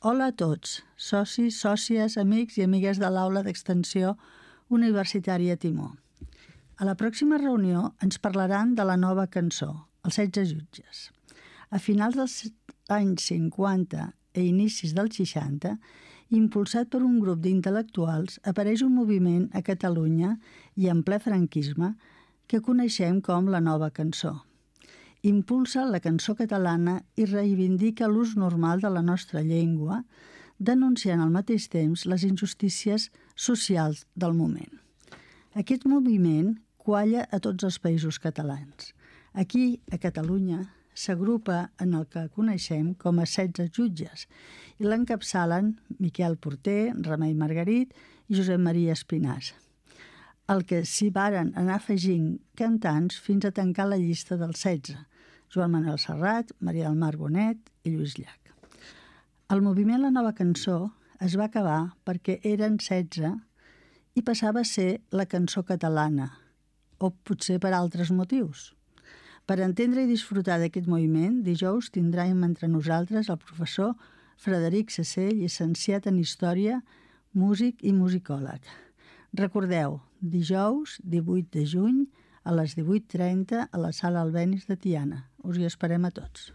Hola a tots, socis, sòcies, amics i amigues de l'Aula d'Extensió Universitària Timó. A la pròxima reunió ens parlaran de la nova cançó, Els 16 jutges. A finals dels anys 50 i inicis dels 60, impulsat per un grup d'intel·lectuals, apareix un moviment a Catalunya i en ple franquisme que coneixem com la nova cançó. Impulsa la cançó catalana i reivindica l'ús normal de la nostra llengua, denunciant al mateix temps les injustícies socials del moment. Aquest moviment qualla a tots els països catalans. Aquí, a Catalunya, s'agrupa en el que coneixem com a 16 jutges i l'encapçalen Miquel Porter, Remei Margarit i Josep Maria Espinàs, el que s'hi varen anar afegint cantants fins a tancar la llista dels 16, Joan Manuel Serrat, Maria del Mar Bonet i Lluís Llach. El moviment La Nova Cançó es va acabar perquè eren 16 i passava a ser la cançó catalana, o potser per altres motius. Per entendre i disfrutar d'aquest moviment, dijous tindrem entre nosaltres el professor Frederic Sesell, llicenciat en Història, músic i musicòleg. Recordeu, dijous 18 de juny a les 18:30 a la Sala Albéniz de Tiana. Us hi esperem a tots.